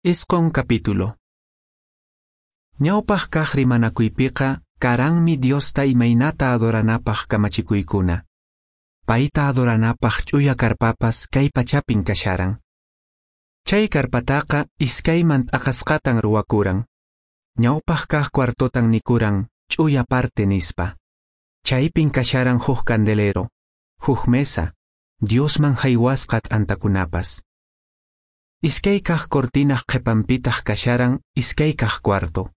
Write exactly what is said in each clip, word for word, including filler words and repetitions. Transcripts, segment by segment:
Isqun capítulo. Ñawpaq kaq rimanakuypiqa karanmi Diosta imaynata adoranapaq kamachikuykuna. Payta adoranapaq ch'uya karpapas kay pachapin kasharan. Chay karpataqa iskayman t'aqasqatan ruwakuran. Ñawpaq kaq cuartotan nikuran ch'uya parte nispa. Chaypin kasharan huk candelero, huk mesa, Diosman haywasqa t'antakunapas. Iskay kaq cortinaq qhipanpitaq kasharan iskay kaq cuarto.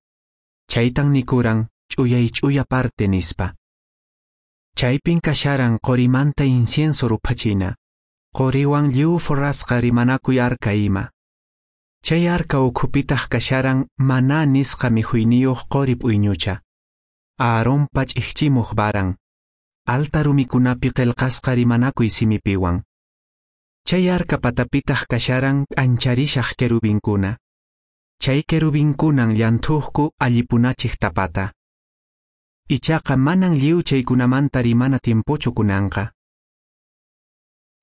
Chaytan nikuran ch'uyay ch'uya parte nispa. Chaypin kasharan qorimanta incienso ruphachina, qoriwan lliw forrasqa rimanakuy arka ima. Chay arka ukhupitaq kasharan maná nisqa mikhuyniyuq qori p'uyñucha. Aaronpa ch'ikchimuq varan, alta rumikunapi qillqasqa rimanakuy simipiwan. Chay arka patapitaq kasharan k'ancharishaq querubinkuna. Chay querubinkunan llanthuqku allipunachiq tapata. Ichaqa manan lliw chaykunamanta rimana tiempochu kunanqa.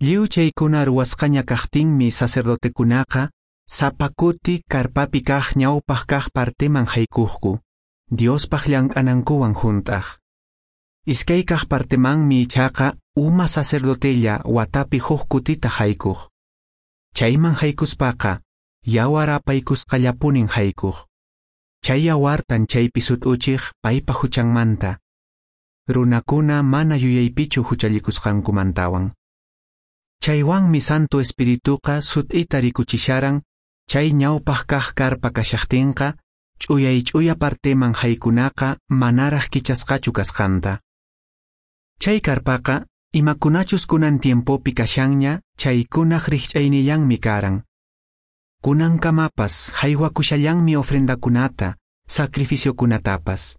Lliw chaykuna ruwasqaña kaqtinmi sacerdotekunaqa sapa kuti karpapi kaq ñawpaq kaq parteman haykuqku, Diospaq llank'anankuwan hunt'aq. Iskay kaq partemanmi ichaqa uma sacerdotella watapi huk kutita haykuq. Chayman haykuspaqa yawar apaykusqallapunin haykuq. Chay yawartan chaypi sut'uchiq paypa huchanmanta. Runakuna mana yuyaypichu huchallikusqankumantawan. Chaywanmi Santo Espirituqa sut'ita rikuchisharan chay ñawpaq kaq karpa kashaqtinqa ch'uyay ch'uya parteman haykunaqa manaraq kichasqachu kasqanta. Chay karpaqa imakunachus kunan tiempopi kashanña chaykunaq rikch'aynillanmi karan. Kunankamapas haywakushallanmi ofrendakunata, sacrificiokunatapas.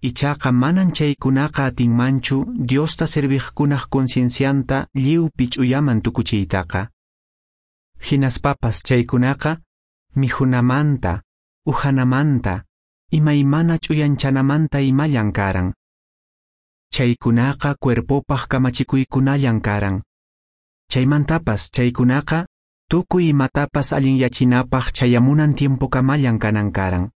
Ichaqa manan chaykunaqa atinmanchu Diosta serviqkunaq conciencianta lliwpi ch'uyaman tukuchiytaqa. Hinaspapas chaykunaqa mikhunamanta, uhanamanta, imaymana ch'uyanchanamanta imallan karan. Chaykunaqa cuerpopaq kamachikuykunallan karan. Chaymantapas chaykunaqa tukuy imatapas allinyachinapaq chayamunan tiempokamallan kanan karan.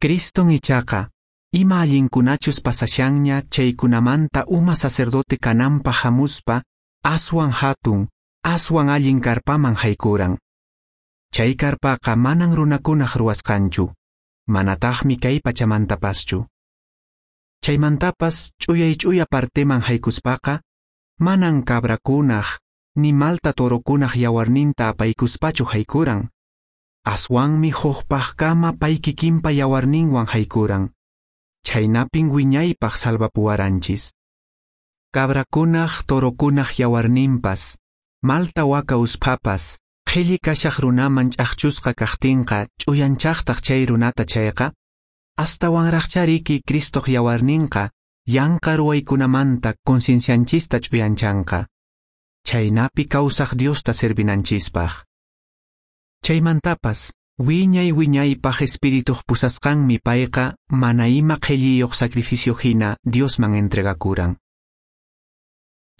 Criston ichaqa ima allinkunachus pasashanña chaykunamanta uma sacerdote kananpaq hamuspa aswan hatun, aswan allin karpaman haykuran. Chay karpaqa manan runakunaq ruwasqanchu, manataqmi kay pachamantapaschu. Chaymantapas ch'uyay ch'uya parteman haykuspaqa manan cabrakunaq ni malta torokunaq yawarninta apaykuspachu haykuran. Aswanmi hukpaqkama pay kikinpa yawarninwan haykuran. Chaynapin wiñaypaq salvapuwaranchis. Cabrakunaq torokunaq yawarninpas, malta waka usphapas, qhilli kashaq runaman ch'aqchusqa kaqtinqa ch'uyanchaqtaq chay runata chayqa, astawanraqchariki Cristoq yawarninqa yanqa ruwaykunamanta conciencianchista ch'uyanchanqa. Chaynapi kawsaq Diosta servinanchispaq. Chaymantapas, wiñay wiñaypaq Espirituq pusasqanmi payqa mana ima qhilliyuq sacrificio hina Diosman entregakuran.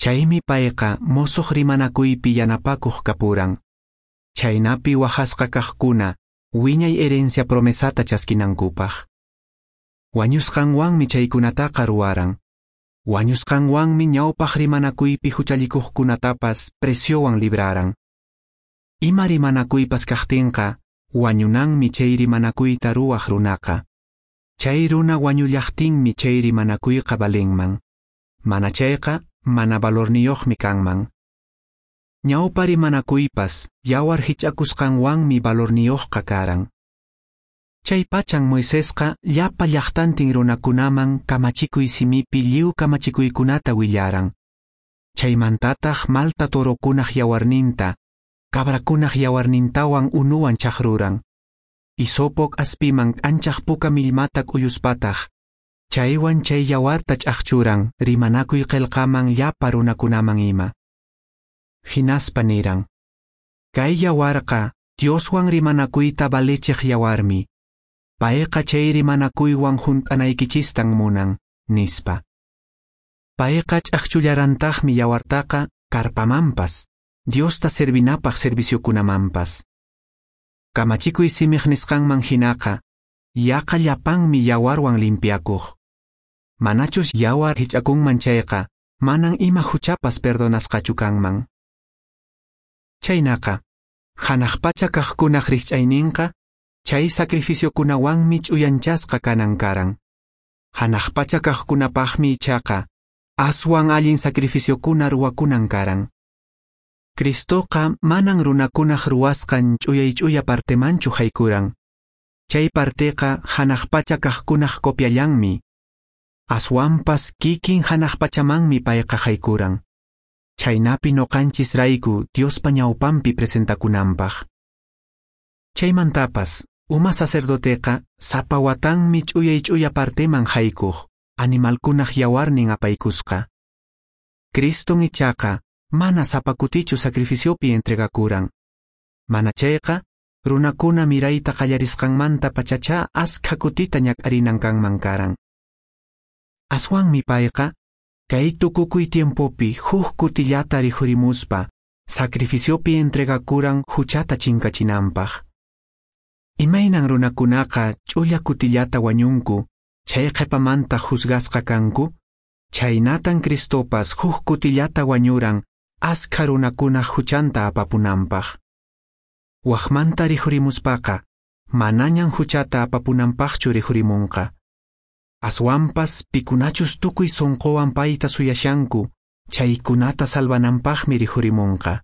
Chaymi payqa mosuq rimanakuypi yanapakuq kapuran. Chaynapi wajasqa kaqkuna wiñay herencia promesata chaskinankupaq. Wañusqanwanmi chaykunataqa ruwaran. Wañusqanwanmi ñawpaq rimanakuypi huchallikuqkunatapas preciowan libraran. Ima rimanakuypas kaqtinqa wañunanmi chay rimanakuyta ruwaq runaqa. Chay runa wañullaqtinmi chay rimanakuyqa valinman. Mana chayqa mana valorniyuqmi kanman. Ñawpa rimanakuypas yawar hich'akusqanwanmi valorniyuqqa karan. Chay pachan Moisesqa llapa llaqtantin runakunaman kamachikuy simipi lliw kamachikuykunata willaran. Chaymantataq malta torokunaq yawarninta, cabrakunaq yawarnintawan unuwan chaqruran. Hisopo k'aspiman k'anchaq puka millmata k'uyuspataq, chaywan chay yawarta ch'aqchuran rimanakuy qillqaman llapa runakunaman ima. Hinaspa niran: Kay yawarqa Dioswan rimanakuyta valechiq yawarmi. Payqa chay rimanakuywan hunt'anaykichistan munan, nispa. Payqa ch'aqchullarantaqmi yawartaqa karpamanpas, Diosta servinapaq serviciokunamanpas. Kamachikuy simiq nisqanman hinaqa, yaqa llapanmi yawarwan limpiakuq. Manachus yawar hich'akunman chayqa, manan ima huchapas perdonasqachu kanman. Chaynaqa, hanaq pacha kaqkunaq rikch'ayninqa, chay sacrificiokunawanmi ch'uyanchasqa kanan karan. Hanaq pacha kaqkunapaqmi ichaqa, aswan allin sacrificiokuna ruwakunan karan. Cristoqa manan runakunaq ruwasqan ch'uyay ch'uya partemanchu haykuran. Chay parteqa hanaq pacha kaqkunaq copiallanmi. Aswanpas kikin hanaq pachamanmi payqa haykuran. Chaynapi noqanchis rayku Diospa ñawpanpi presentakunanpaq. Chaymantapas, uma sacerdoteqa sapa watanmi ch'uyay ch'uya parteman haykuq, animalkunaq yawarnin apaykusqa. Criston ichaqa mana sapa kutichu sacrificiopi entregakuran. Mana chayqa, runakuna mirayta qallarisqanmanta pachacha askha kutita ñak'arinan kanman karan. Aswanmi payqa, kay tukukuy tiempopi huk kutillata rikhurimuspa, sacrificiopi entregakuran huchata chinkachinanpaq. Imaynan runakunaqa ch'ulla kutillata wañunku, chay qhipamanta juzgasqa kanku, chaynatan Cristopas huk kutillata wañuran askha runakunaq huchanta apapunanpaq. Waqmanta rikhurimuspaqa, manañan huchata apapunanpaqchu rikhurimunqa. Aswanpas pikunachus tukuy sunquwan payta suyashanku, chaykunata salvananpaqmi rikhurimunqa.